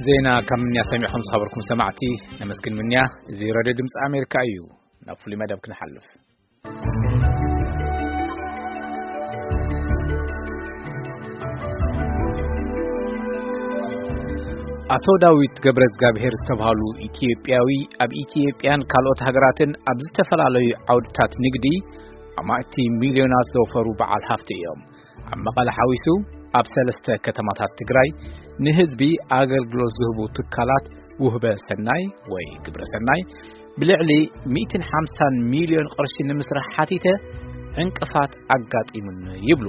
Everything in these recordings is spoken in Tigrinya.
ዜና ካብ ምንያ ሰሚዕኹም ዝኸበርኩም ሰማዕቲ ነመስግን። ምንያ፣ እዚ ሬድዮ ድምፂ ኣሜሪካ እዩ። ናብ ፍሉይ መደብ ክንሓልፍ። ኣቶ ዳዊት ገብረ እግዚኣብሔር ዝተባህሉ ኢትዮጵያዊ፣ ኣብ ኢትዮጵያን ካልኦት ሃገራትን ኣብ ዝተፈላለዩ ዓውድታት ንግዲ ኣማእቲ ሚልዮናት ዘውፈሩ በዓል ሃፍቲ እዮም። ኣብ መቐለ ሓዊሱ ኣብ ሰለስተ ከተማታት ትግራይ ንህዝቢ ኣገልግሎት ዝህቡ ትካላት ውህበ ሰናይ ወይ ግብረ ሰናይ ብልዕሊ ሚእትን ሓምሳን ሚልዮን ቅርሺ ንምስራሕ ሓቲተ ዕንቅፋት ኣጋጢሙኒ ይብሉ።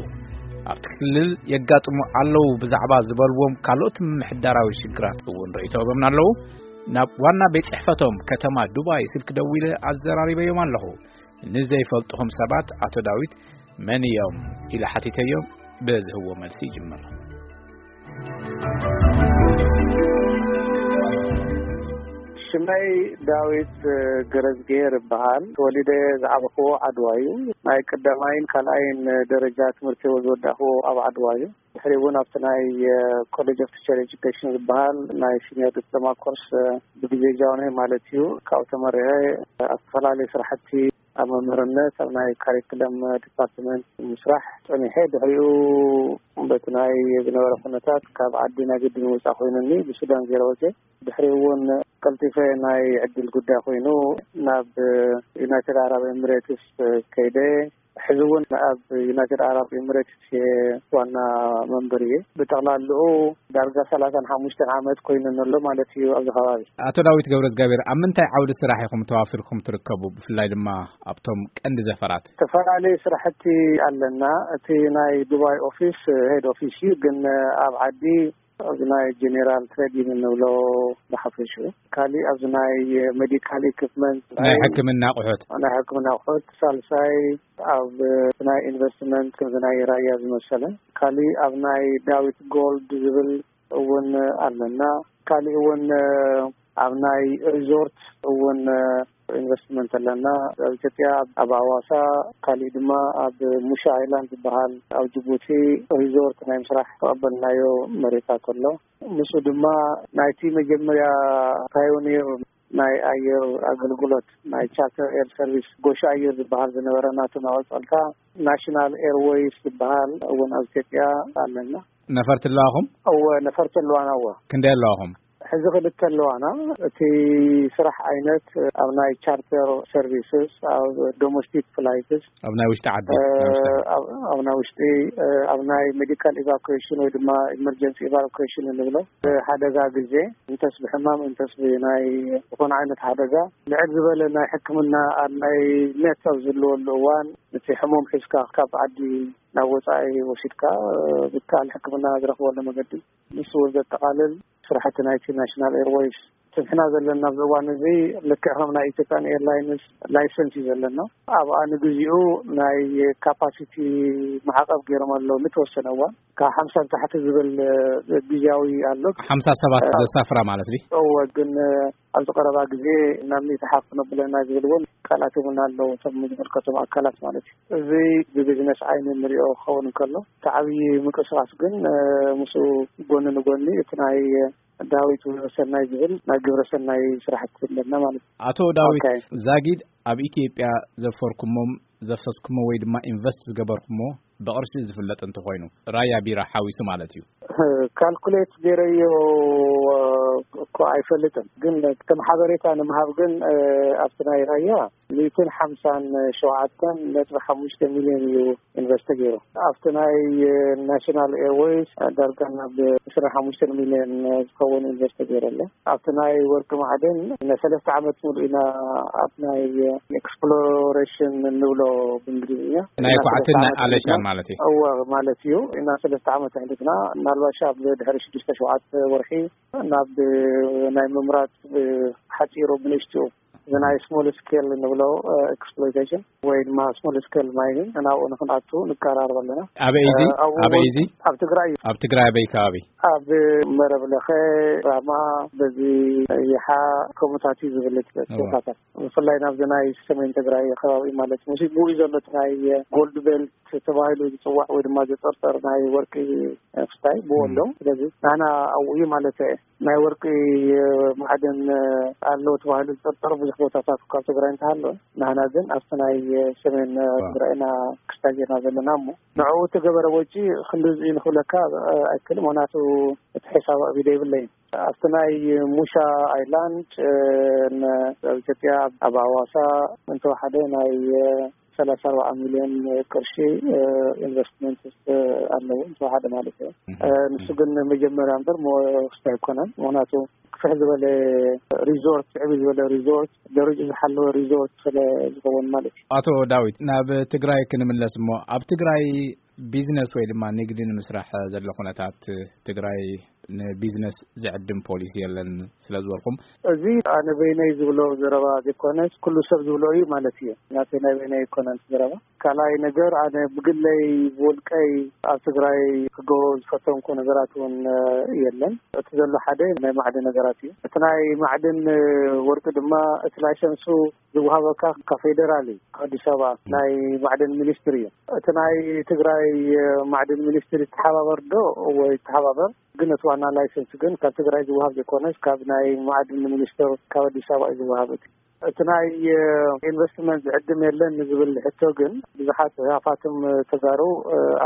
ኣብቲ ክልል የጋጥሙ ኣለዉ ብዛዕባ ዝበልዎም ካልኦት ምምሕዳራዊ ሽግራት እውን ርእይቶ ሂቦምና ኣለዉ። ናብ ዋና ቤት ጽሕፈቶም ከተማ ዱባይ ስልክ ደዊለ ኣዘራሪበዮም ኣለኹ። ንዘይፈልጥኹም ሰባት ኣቶ ዳዊት መን እዮም ኢለ ሓቲተዮም። ብዝህዎ መልሲ ይጅምር። ሽመይ ዳዊት ገረዝግሄር ይበሃል። ተወሊደ ዝዓበኽዎ ዓድዋ እዩ። ናይ ቀዳማይን ካልኣይን ደረጃ ትምህርቲ እውን ዝወዳእኽዎ ኣብ ዓድዋ እዩ። ድሕሪ እውን ኣብቲ ናይ ኮሌጅ ኦፍ ቲቸር ኤጁኬሽን ዝበሃል ናይ ሲኒየር ዲፕሎማ ኮርስ ብግዜ ጃንሆይ ማለት እዩ፣ ካብኡ ተመሪቐ ኣብ ዝተፈላለዩ ስራሕቲ ኣብ መምህርነት ኣብ ናይ ካሪክለም ዲፓርትመንት ምስራሕ ጸኒሐ። ድሕሪኡ በቲ ናይ ዝነበረ ኩነታት ካብ ዓዲ ናይ ግድን ወፃእ ኮይኑኒ ብሱዳን ገይረ ወፅየ። ድሕሪኡ እውን ቀልጢፈ ናይ ዕድል ጉዳይ ኮይኑ ናብ ዩናይትድ ኣረብ ኤምሬትስ ከይደ። ሕዚ እውን ኣብ ዩናይትድ ኣረብ ኤምሬትስ እየ ዋና መንበር እየ። ብጠቕላልኡ ዳርጋ ሰላሳን ሓሙሽተን ዓመት ኮይኑ ኣሎ ማለት እዩ ኣብዚ ከባቢ። ኣቶ ዳዊት ገብረ እግዚኣብሔር፣ ኣብ ምንታይ ዓውዲ ስራሕ ኢኹም ተዋፊርኩም ትርከቡ? ብፍላይ ድማ ኣብቶም ቀንዲ ዘፈራት። ዝተፈላለዩ ስራሕቲ ኣለና። እቲ ናይ ዱባይ ኦፊስ ሄድ ኦፊስ እዩ፣ ግን ኣብ ዓዲ ኣብዚ ናይ ጀኔራል ትሬዲንግ እንብሎ ብሓፈሽኡ። ካሊእ ኣብዚ ናይ ሜዲካል ኢኩፕመንት፣ ናይ ሕክምና ኣቑሑት። ናይ ሕክምና ኣቑሑት። ሳልሳይ ኣብ ናይ ኢንቨስትመንት፣ ከምዚ ናይ ራያ ዝመሰለ። ካሊእ ኣብ ናይ ዳዊት ጎልድ ዝብል እውን ኣለና። ካሊእ እውን ኣብ ናይ ሪዞርት እውን ኢንቨስትመንት ኣለና። ኣብ ኢትዮጵያ ኣብ ኣዋሳ፣ ካሊእ ድማ ኣብ ሙሻ ኣይላንድ ዝበሃል ኣብ ጅቡቲ ሪዞርት ናይ ምስራሕ ተቐበልናዮ መሬታት ኣሎ። ምስኡ ድማ ናይቲ መጀመርያ ፓዮኒር ናይ ኣየር ኣገልግሎት ናይ ቻርተር ኤር ሰርቪስ ጎሽ ኣየር ዝበሃል ዝነበረ ናቱ መቐጸልታ ናሽናል ኤርዌይስ ዝበሃል እውን ኣብ ኢትዮጵያ ኣለና። ነፈርቲ ኣለዋኹም? እወ፣ ነፈርቲ ኣለዋና። እወ። ክንደይ ኣለዋኹም? ሕዚ ክልተ ኣለዋና። እቲ ስራሕ ዓይነት ኣብ ናይ ቻርተር ሰርቪስስ፣ ኣብ ዶሜስቲክ ፍላይትስ፣ ኣብ ናይ ውሽጢ ዓዲ፣ እ፣ ናይ ውሽጢ ዓዲ። ኣብ፣ ኣብ ናይ ውሽጢ፣ እ፣ ኣብ ናይ ሜዲካል ኢቫኩዌሽን ወይ ድማ ኢመርጀንሲ ኢቫኩዌሽን እንብሎ፣ እ፣ ሓደጋ ግዜ፣ እንተስ ብሕማም እንተስ ብናይ ዝኾነ ዓይነት ሓደጋ፣ ልዕል ዝበለ ናይ ሕክምና ኣብ ናይ ነት ኣብ ዝህልወሉ እዋን፣ እቲ ሕሙም ሒዝካ ካብ ዓዲ ናብ ወጻኢ ወሲድካ፣ እ፣ ዝከኣል ሕክምና ዝረኽበሉ መገዲ፣ ንሱ እውን ዘጠቓልል ስራሕቲ ናይቲ ናሽናል ኤርዌይስ ንሕና ዘለና ኣብዚ እዋን እዚ ልክዕ ከም ናይ ኢትዮጵያን ኤርላይንስ ላይሰንስ እዩ ዘለና። ኣብኣ ንግዚኡ ናይ ካፓሲቲ ማዕቐብ ገይሮም ኣለዉ። ንተወሰነ እዋን ካብ ሓምሳ ንታሕቲ ዝብል ግዝያዊ ኣሎ። ሓምሳ ሰባት እ፣ ዘሳፍራ ማለት ድዩ? እወ፣ ግን ኣብዚ ቀረባ ግዜ ናብ ሚእቲ ሓፍ ክነብለና ዝብል እውን ቃላት እውን ኣለዉ፣ እቶም ዝምልከቶም ኣካላት ማለት እዩ። እዚ ብቢዝነስ ዓይኒ እንሪኦ ክኸውን እንከሎ፣ እቲ ዓብዪ ምንቅስቃስ ግን፣ እ፣ ምስኡ ጎኒ ንጎኒ እቲ ናይ ዳዊት ውህበ ሰናይ ዝብል ናይ ግብረ ሰናይ ስራሕቲ ኣለና ማለት እዩ። ኣቶ ዳዊት ኦኬ። ዛጊድ፣ ኣብ ኢትዮጵያ ዘፈርኩሞም፣ ዘፍሰስኩሞ ወይ ድማ ኢንቨስት ዝገበርኩሞ ብቕርሺ ዝፍለጥ እንተኾይኑ፣ ራያ ቢራ ሓዊሱ ማለት እዩ። ካልኩሌት ገይረዮ እኮ ኣይፈልጥን፣ ግን ከም ሓበሬታ ንምሃብ ግን፣ እ፣ ኣብቲ ናይ ራያ ሚእትን ሓምሳን ሸውዓተን ነጥቢ ሓሙሽተ ሚልዮን እዩ ኢንቨስት ገይሩ። ኣብቲ ናይ ናሽናል ኤርዌይስ ዳርጋ ናብ ዕስራን ሓሙሽተን ሚልዮን ዝኸውን ኢንቨስት ገይሩ ኣሎ። ኣብቲ ናይ ወርቂ ማዕድን ንሰለስተ ዓመት ሙሉእ ኢና ኣብ ናይ ኤክስፕሎሬሽን እንብሎ ብእንግሊዝኛ። ናይ እና ኳዕትን ሰለስተ ናይ ዓመት ኣለሻን ኣሕሊፍና። ማለት እዩ። እወ፣ ማለት እዩ። እና ሰለስተ ዓመት ኣሕሊፍና፣ ምናልባሽ ኣብ ድሕሪ ሽዱሽተ ሸውዓተ ወርሒ ናብ ናይ ምምራፅ ሓፂሩ ብንእሽትኡ እዚ ናይ ስሞል ስኬል እንብሎ ኤክስፕሎይቴሽን ወይ ድማ ስሞል ስኬል ማይኒንግ ናብኡ ንክንኣቱ ንቀራረብ ኣለና። ኣበይ እዚ? ኣበይ እዚ? ኣብ ትግራይ እዩ። ኣብ ትግራይ ኣበይ ከባቢ? ኣብ መረብ ለኸ፣ ራማ፣ በዚ ይሓ፣ ከምኡታት እዩ ዝብል ቦታታት፣ ብፍላይ ናብዚ ናይ ሰሜን ትግራይ ከባቢ ማለት ምስ ብኡ እዩ ዘሎ እቲ ናይ ጎልድ ቤልት ተባሂሉ ዝፅዋዕ ወይ ድማ ዝጥርጠር ናይ ወርቂ ክስታይ ብኡ ኣሎ። ስለዚ ናና ኣብኡ እዩ ማለት እየ። ናይ ወርቂ ማዕድን ኣሎ ተባሂሉ ዝጥርጠር ብዙሕ ቦታታት ካብ ትግራይ እንተሃለወ፣ ናህና ግን ኣብቲ ናይ ሰሜን ትግራይና ክስታይ ጌርና ዘለና እሞ ንዕኡ እተገበረ ወጪ ክንድዚ እዩ ንክብለካ ኣይክእል። ምክንያቱ እቲ ሕሳብ ኣብ ኢደ ይብለይን። ኣብቲ ናይ ሙሻ ኣይላንድ ኣብ ኢትዮጵያ ኣብ ኣዋሳ እንተወሓደ ናይ ሰላሳ ኣርባዓ ሚልዮን ቅርሺ ኢንቨስትመንት ኣለዎ እንተወሓደ ማለት እዩ። ንሱ ግን መጀመርያ እምበር ክስታይ ኣይኮነን። ምክንያቱ ክፍሕ ዝበለ ሪዞርት፣ ዕብይ ዝበለ ሪዞርት፣ ደረጃ ዝሓለወ ሪዞርት ስለ ዝኸውን ማለት እዩ። ኣቶ ዳዊት፣ ናብ ትግራይ ክንምለስ እሞ፣ ኣብ ትግራይ ቢዝነስ ወይ ድማ ንግዲ ንምስራሕ ዘሎ ኩነታት ትግራይ ንቢዝነስ ዝዕድም ፖሊሲ የለን ስለ ዝበልኩም፣ እዚ ኣነ በይነይ ዝብሎ ዘረባ ዘይኮነስ ኩሉ ሰብ ዝብሎ እዩ ማለት እዩ። ናተይ ናይ በይነይ ኣይኮነን ዘረባ። ካልኣይ ነገር፣ ኣነ ብግለይ ብውልቀይ ኣብ ትግራይ ክገብሮ ዝፈተንኩ ነገራት እውን የለን። እቲ ዘሎ ሓደ ናይ ማዕድን ነገራት እዩ። እቲ ናይ ማዕድን ወርቂ ድማ እቲ ላይሰንሱ ዝወሃበካ ካብ ፌደራል እዩ፣ ካብ ኣዲስ ኣበባ ናይ ማዕድን ሚኒስትሪ እዩ። እቲ ናይ ትግራይ ማዕድን ሚኒስትሪ ተሓባበር ዶ ወይ ተሓባበር፣ ግን እቲ ዋና ላይሰንስ ግን ካብ ትግራይ ዝወሃብ ዘይኮነስ ካብ ናይ ማዕድን ሚኒስትር ካብ ኣዲስ ኣበባ እዩ ዝወሃብ። እቲ እቲ ናይ ኢንቨስትመንት ዝዕድም የለን ንዝብል ሕቶ ግን ብዙሓት ሃፋትም ተጋሩ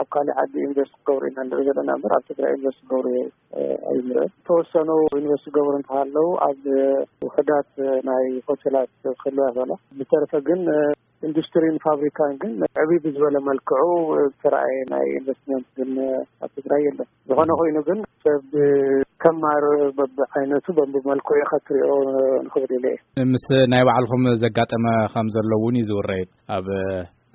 ኣብ ካልእ ዓዲ ኢንቨስት ክገብሩ ኢና ንርኢ ዘለና እምበር ኣብ ትግራይ ኢንቨስት ክገብሩ ኣይንርኢ። ተወሰኑ ኢንቨስት ክገብሩ እንተሃለዉ ኣብ ውሕዳት ናይ ሆቴላት ክህልዋ ይኽእላ። ብተረፈ ግን ኢንዱስትሪን ፋብሪካን ግን ዕብይ ብዝበለ መልክዑ ዝተረኣየ ናይ ኢንቨስትመንት ግን ኣብ ትግራይ የለን። ዝኾነ ኮይኑ ግን ሰብ ከማር በብዓይነቱ በብመልክዑ ኢኻ ትሪኦ ንኽብል ኢለ እየ። ምስ ናይ ባዕልኹም ዘጋጠመ ከም ዘሎ እውን እዩ ዝውረይ። ኣብ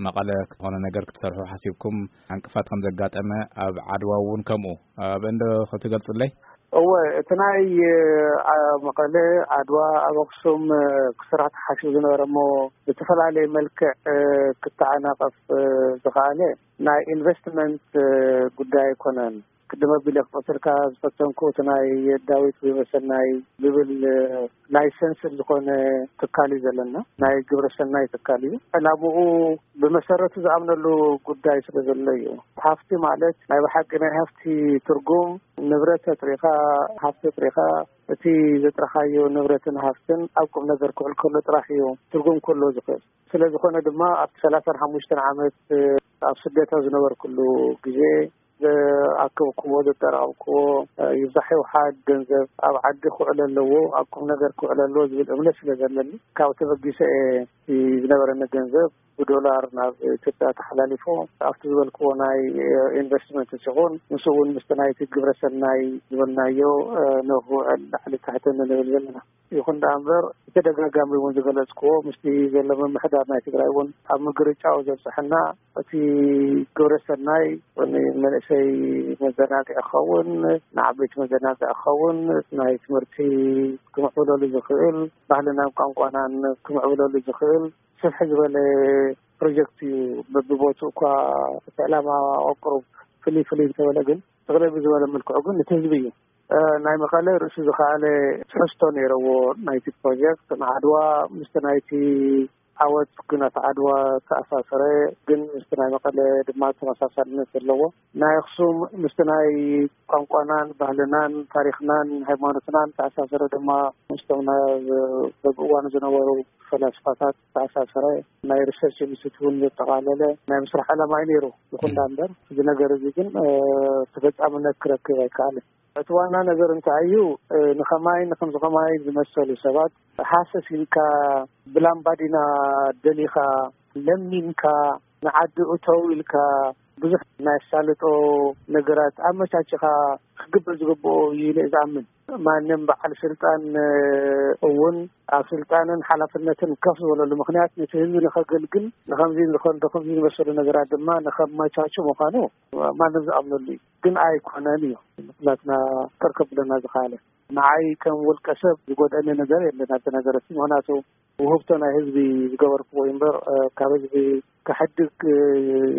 መቐለ ዝኾነ ነገር ክትሰርሑ ሓሲብኩም ዕንቅፋት ከም ዘጋጠመ፣ ኣብ ዓድዋ እውን ከምኡ። ኣብ እንዶ ክትገልጹለይ? እወ፣ እቲ ናይ፣ ኣ፣ መቐለ፣ ዓድዋ፣ ኣብ ኣኽሱም፣ እ፣ ክስራሕ ተሓሲቡ ዝነበረ እሞ ብዝተፈላለየ መልክዕ፣ እ፣ ክተዓናቐፍ፣ እ፣ ዝኸኣለ ናይ ኢንቨስትመንት፣ እ፣ ጉዳይ ኣይኮነን። ቅድም ኣቢለ ክጠቅሰልካ ዝፈተንኩ እቲ ናይ ዳዊት ግብረሰናይ ዝብል፣ እ፣ ላይሰንስ ዝኾነ ትካል እዩ ዘለና። ናይ ግብረሰናይ ትካል እዩ። ዕላምኡ ብመሰረቱ ዝኣምነሉ ጉዳይ ስለ ዘሎ እዩ። ሃፍቲ ማለት ናይ ብሓቂ ናይ ሃፍቲ ትርጉም ንብረት ኣጥሪኻ፣ ሃፍቲ ኣጥሪኻ፣ እቲ ዘጥረኻዮ ንብረትን ሃፍትን ኣብ ቁም ነገር ክውዕል ከሎ ጥራሕ እዩ ትርጉም ክህልዎ ዝኽእል። ስለ ዝኾነ ድማ ኣብቲ ሰላሳን ሓሙሽተን ዓመት ኣብ ስደት ኣብ ዝነበርኩሉ ግዜ ዘኣከብክዎ፣ ዘጠራቐምክዎ ይብዛሕ ይውሓድ ገንዘብ ኣብ ዓዲ ክውዕል ኣለዎ፣ ኣብ ቁም ነገር ክውዕል ኣለዎ ዝብል እምነት ስለ ዘለኒ፣ ካብኡ ተበጊሰ እየ እቲ ዝነበረኒ ገንዘብ ብዶላር ናብ ኢትዮጵያ ተሓላሊፎ። ኣብቲ ዝበልክዎ ናይ ኢንቨስትመንት ሲኹን፣ ምስኡ እውን ምስቲ ናይቲ ግብረ ሰናይ ዝበልናዮ ንኽውዕል ላዕሊ ታሕቲ ንብል ዘለና። ይኹን ደኣ እምበር፣ ብተደጋጋሚ እውን ዝገለጽክዎ፣ ምስቲ ዘሎ ምምሕዳር ናይ ትግራይ እውን ኣብ ምግርጫው ዘብጽሐና፣ እቲ ግብረ ሰናይ ንመንእሰይ መዘናግዒ ክኸውን፣ ንዓበይቲ መዘናግዒ ክኸውን፣ ናይ ትምህርቲ ክምዕብለሉ ዝኽእል፣ ባህልናን ቋንቋናን ክምዕብለሉ ዝኽእል ስፍሕ ዝበለ ፕሮጀክት እዩ። በብቦትኡ እኳ እቲ ዕላማ ኣቅሩብ ፍልይ ፍልይ እንተበለ ግን፣ ጥቕልል ብዝበለ መልክዑ ግን እቲ ህዝቢ እዩ። እ፣ ናይ መቐለ ርእሱ ዝኸኣለ ትሕዝቶ ነይረዎ ናይቲ ፕሮጀክት። ንዓድዋ ምስቲ ናይቲ ዓወት ኩናት ዓድዋ ተኣሳሰረ፣ ግን ምስቲ ናይ መቐለ ድማ ተመሳሳልነት ዘለዎ፣ ናይ ኣኽሱም ምስቲ ናይ ቋንቋናን ባህልናን ታሪኽናን ሃይማኖትናን ተኣሳሰረ ድማ ምስቶም ና-፣ በብእዋኑ ዝነበሩ ፈላስፋታት ተኣሳሰረ፣ ናይ ሪሰርች ኢንስቲትዩት እውን ዘጠቓለለ ናይ ምስራሕ ዕላማ እዩ ነይሩ። ይኹን ዳ እምበር፣ እዚ ነገር እዚ ግን፣ እ፣ ተፈጻምነት ክረክብ ኣይከኣልን። እቲ ዋና ነገር እንታይ እዩ? እ፣ ንኸማይ፣ ንኸምዚ ኸማይ ዝመሰሉ ሰባት ሃሰስ ኢልካ፣ ብላምባዲና ደሊኻ፣ ለሚንካ፣ ንዓዲ እተው ኢልካ፣ ብዙሕ ናይ ኣሳልጦ ነገራት ኣመቻችኻ ክግበር ዝግብኦ እዩ ኢለ ዝኣምን። ማንም በዓል ስልጣን እውን ኣብ ስልጣንን ሓላፍነትን ከፍ ዝበለሉ ምክንያት ነቲ ህዝቢ ንኸገልግል ንከምዚ ንኸምዚ ዝመሰሉ ነገራት ድማ ንኸመቻቹ ምዃኑ ማንም ዝኣምነሉ እዩ። ግን ኣይኮነን እዩ። ናትና ተርከብለና ዝኸኣለ ንዓይ ከም ውልቀ ሰብ ዝጎደኒ ነገር የለን ኣብቲ ነገር እቲ። ምክንያቱ ውህብቶ ናይ ህዝቢ ዝገበርክዎ እምበር ካብ ህዝቢ ክሕድግ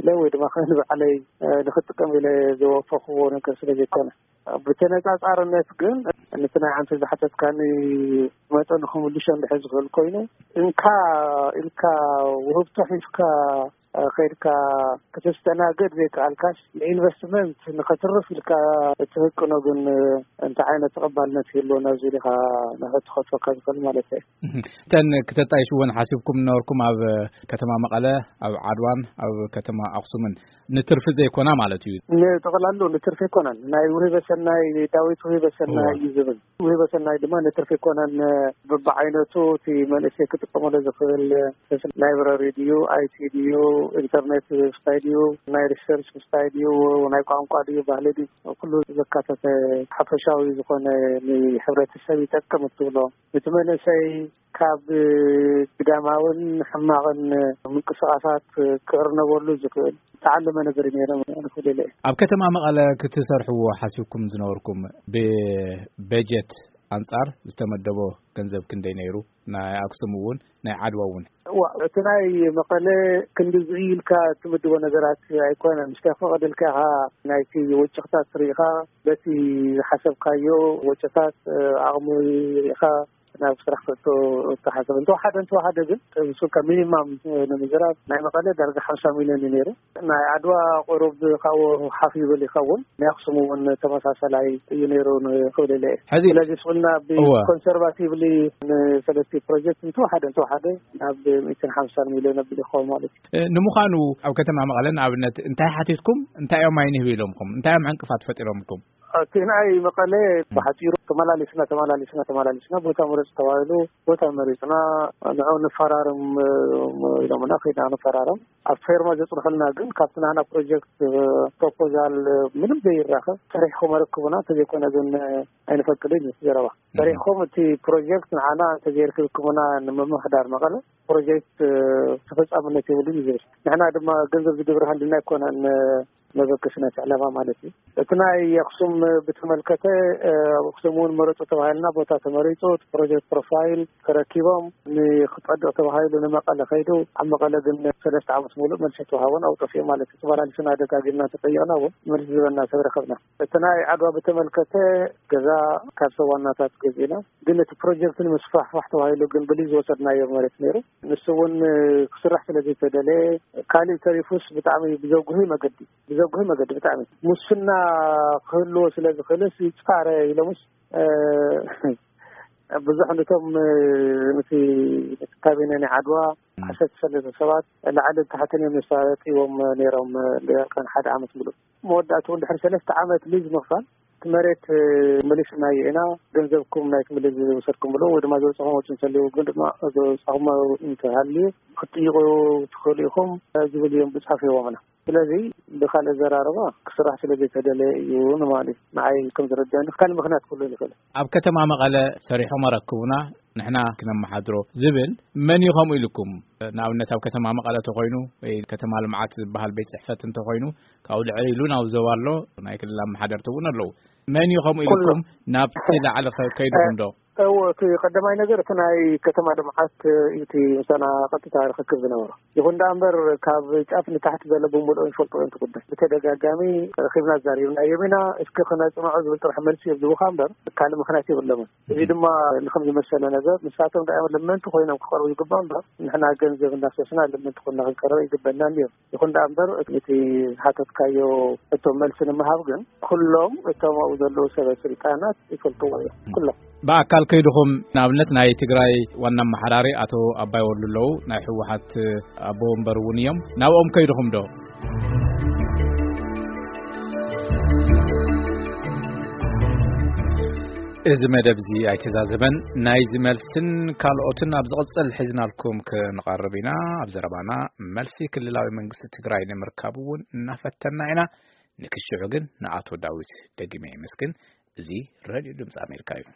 ኢለ ወይ ድማ ንባዕለይ ንክጥቀም ኢለ ዝወፈኽዎ ነገር ስለ ዘይኮነ። ብተነፃፃርነት ግን ነቲ ናይ ዓንተ ዝሓተትካኒ መጠኑ ክምልሾ እንድሕር ዝኽእል ኮይኑ እንካ ኢልካ ውህብቶ ሒዝካ ከይድካ ክትስተናገድ ዘይከኣልካስ ንኢንቨስትመንት ንኸትርፍ ኢልካ እትህቅኖ ግን እንታይ ዓይነት ተቐባልነት ይህልዎ ናብዚ ኢኻ ንኽትኸትወካ ዝኽእል ማለት እዩ። እተን ክተጣይሽወን ሓሲብኩም ነበርኩም ኣብ ከተማ መቐለ፣ ኣብ ዓድዋን ኣብ ከተማ ኣኽሱምን ንትርፊ ዘይኮና ማለት እዩ። ንጠቕላሉ ንትርፊ ኣይኮናን። ናይ ውህበ ሰናይ ዳዊት ውህበ ሰናይ እዩ ዝብል። ውህበ ሰናይ ድማ ንትርፊ ኣይኮናን። በብዓይነቱ እቲ መንእሰይ ክጥቀመሉ ዝኽእል ላይብራሪ ድዩ፣ ኣይቲ ድዩ፣ ኢንተርኔት ስታይ ድዩ፣ ናይ ሪሰርች ስታይ ድዩ፣ ናይ ቋንቋ ድዩ፣ ባህሊ ድዩ፣ ኩሉ ዘካተተ ሓፈሻዊ ዝኾነ ንሕብረተሰብ ይጠቅም እትብሎ እቲ መንእሰይ ካብ ግዳማውን ሕማቕን ምንቅስቃሳት ክእርነበሉ ዝኽእል ዝተዓለመ ነገር ነይረ ንኽእል እየ። ኣብ ከተማ መቐለ ክትሰርሕዎ ሓሲብኩም ዝነበርኩም ብበጀት ኣንጻር ዝተመደቦ ገንዘብ ክንደይ ነይሩ? ናይ ኣክሱም እውን ናይ ዓድዋ እውን ዋ እቲ ናይ መቐለ ክንዲ ዝኢልካ ትምድቦ ነገራት ኣይኮነን። ምስ ከፈቐደልካ ኢኻ ናይቲ ወጭኽታት ርኢኻ በቲ ዝሓሰብካዮ ወጭታት ኣቕሚ ርኢኻ ናብ ስራሕ ክእቶ እተሓሰብ እንተወሓደ እንተወሓደ ግን እሱ ካብ ሚኒማም ንምዝራብ ናይ መቐለ ዳርጋ ሓምሳ ሚሊዮን እዩ ነይሩ። ናይ ዓድዋ ቁሩብ ካብኡ ሓፍ ይብል ይኸውን። ናይ ኣክሱም እውን ተመሳሰላይ እዩ ነይሩ ንክብል ኢለ እየ። ሕዚ ስለዚ ስቁልና እወ። ብኮንሰርቫቲቭሊ ንሰለስቲ ፕሮጀክት እንተወሓደ እንተወሓደ ናብ ሚእትን ሓምሳን ሚሊዮን ኣቢል ይኸውን ማለት እዩ። እ፣ ንምዃኑ ኣብ ከተማ መቐለ ንኣብነት እንታይ ሓቲትኩም እንታይ እዮም ኣይንህብ ኢሎምኩም እንታይ እዮም ዕንቅፋት ፈጢሮምኩም? እቲ ናይ መቐለ ብሓፂሩ ተመላሊስና ተመላሊስና ተመላሊስና ቦታ ምረፅ ተባሂሉ ቦታ መሪፅና ንዑ ንፈራርም ኢሎምና ከይድና ንፈራርም ኣብ ፌርማ ዘፅንሑልና ግን ካብቲ ናና ፕሮጀክት ፕሮፖዛል ምንም ዘይራኸብ ሰሪሕኩም ኣረክቡና እንተዘይኮነ ግን ኣይንፈቅድን እዩ ዘረባ ሰሪሕኩም እቲ ፕሮጀክት ንዓና እንተዘይርክብኩምና ንምምሕዳር መቐለ ፕሮጀክት ተፈፃምነት የብሉን እዩ ዝብል ንሕና ድማ ገንዘብ ዝድብር ሃልና ኣይኮነን መበገሲ ናይቲ ዕላማ ማለት እዩ። እቲ ናይ ኣክሱም ብተመልከተ ኣብ ኣክሱም እውን መረፁ ተባሂልና ቦታ ተመሪፁ እቲ ፕሮጀክት ፕሮፋይል ተረኪቦም ንክፀድቕ ተባሂሉ ንመቐለ ከይዱ ኣብ መቐለ ግን ሰለስተ ዓመት ሙሉእ መልሲ ተዋሃቦን ኣብጠፍኡ ማለት እዩ። ተመላሊስና ደጋጊምና ተጠየቕና እውን መልሲ ዝበና ሰብ ረከብና። እቲ ናይ ዓድዋ ብተመልከተ ገዛ ካብ ሰብ ዋናታት ገዚእና ግን እቲ ፕሮጀክት ንምስፋሕፋሕ ተባሂሉ ግን ብሊዝ ዝወሰድናዮ መሬት ነይሩ ንሱ እውን ክስራሕ ስለ ዘይተደለየ ካሊእ ተሪፉስ ብጣዕሚ ብዘጉሂ መገዲ ብዘጉሂ መገዲ ብጣዕሚ ሙስና ክህልዎ ስለ ዝኽእልስ ይፃረ ኢሎምስ ብዙሕ ነቶም ነቲ ካቢነ ናይ ዓድዋ ዓሰርተ ሰለስተ ሰባት ላዕልን ታሕትን እዮም ዘሳጢዎም ነይሮም ልዕሊ ሓደ ዓመት ሙሉእ መወዳእትኡ እንድሕር ሰለስተ ዓመት ሊዝ ምኽፋል እቲ መሬት መሊስናዮ ኢና ገንዘብኩም ናይ ክምልል ዝወሰድኩምሉ ወይ ድማ ዘውፅኹም ወፂ እንተልዩ ግን ድማ ዘውፅኹም እንተሃልዩ ክትጥይቁ ትኽእሉ ኢኹም ዝብል እዮም ብፅሑፍ ሂቦምና ስለዚ ብካልእ ዘራርባ ክስራሕ ስለ ዘይተደለየ እዩ ንማለት እዩ ንዓይ ከም ዝረዳኒ ካልእ ምክንያት ክህሉ ይኽእል ኣብ ከተማ መቐለ ሰሪሖም ኣረክቡና ንሕና ክነመሓድሮ ዝብል መን እዩ ከምኡ ኢልኩም ንኣብነት ኣብ ከተማ መቐለ ተኮይኑ ወይ ከተማ ልምዓት ዝበሃል ቤት ፅሕፈት እንተኮይኑ ካብኡ ልዕል ኢሉ ናብ ዞባ ኣሎ ናይ ክልል ኣመሓደርቲ እውን ኣለዉ መን እዩ ከምኡ ኢልኩም ናብቲ ላዕሊ ከይድኩም ዶ እዎ እቲ ቀዳማይ ነገር እቲ ናይ ከተማ ልምዓት እዩ እቲ ምሳና ቀጥታ ርክክብ ዝነበሮ ይኹን ደኣ እምበር ካብ ጫፍ ንታሕቲ ዘሎ ብምልኦ ይፈልጦ እዮም ትጉዳይ ብተደጋጋሚ ረኪብና ዛሪብና እዮም ኢና እስኪ ክነፅንዖ ዝብል ጥራሕ መልሲ እዮም ዝቡካ እምበር ካልእ ምክንያት የብሎምን እዚ ድማ ንከም ዝመሰለ ነገር ንሳቶም ደኣ እዮም ለመንቲ ኮይኖም ክቀርቡ ዝግባእ እምበር ንሕና ገንዘብ እናሰስና ለመንቲ ኮይና ክንቀርብ ይግበና እዮም ይኹን ደኣ እምበር እቲ ዝሓተትካዮ እቶም መልሲ ንምሃብ ግን ኩሎም እቶም ኣብኡ ዘለዉ ሰበ ስልጣናት ይፈልጥዎ እዮም ኩሎም ብኣካል ከይድኹም ንኣብነት ናይ ትግራይ ዋና ኣመሓዳሪ ኣቶ ኣባይ ወሉ ኣለዉ ናይ ህወሓት ኣቦ ወንበር እውን እዮም ናብኦም ከይድኹም ዶ እዚ መደብ እዚ ኣይተዛዘመን ናይዚ መልስን ካልኦትን ኣብ ዝቕፅል ሒዝናልኩም ክንቐርብ ኢና ኣብ ዘረባና መልሲ ክልላዊ መንግስቲ ትግራይ ንምርካብ እውን እናፈተና ኢና ንክሽዑ ግን ንኣቶ ዳዊት ደጊመ የመስግን እዚ ሬድዮ ድምፂ ኣሜሪካ እዩ።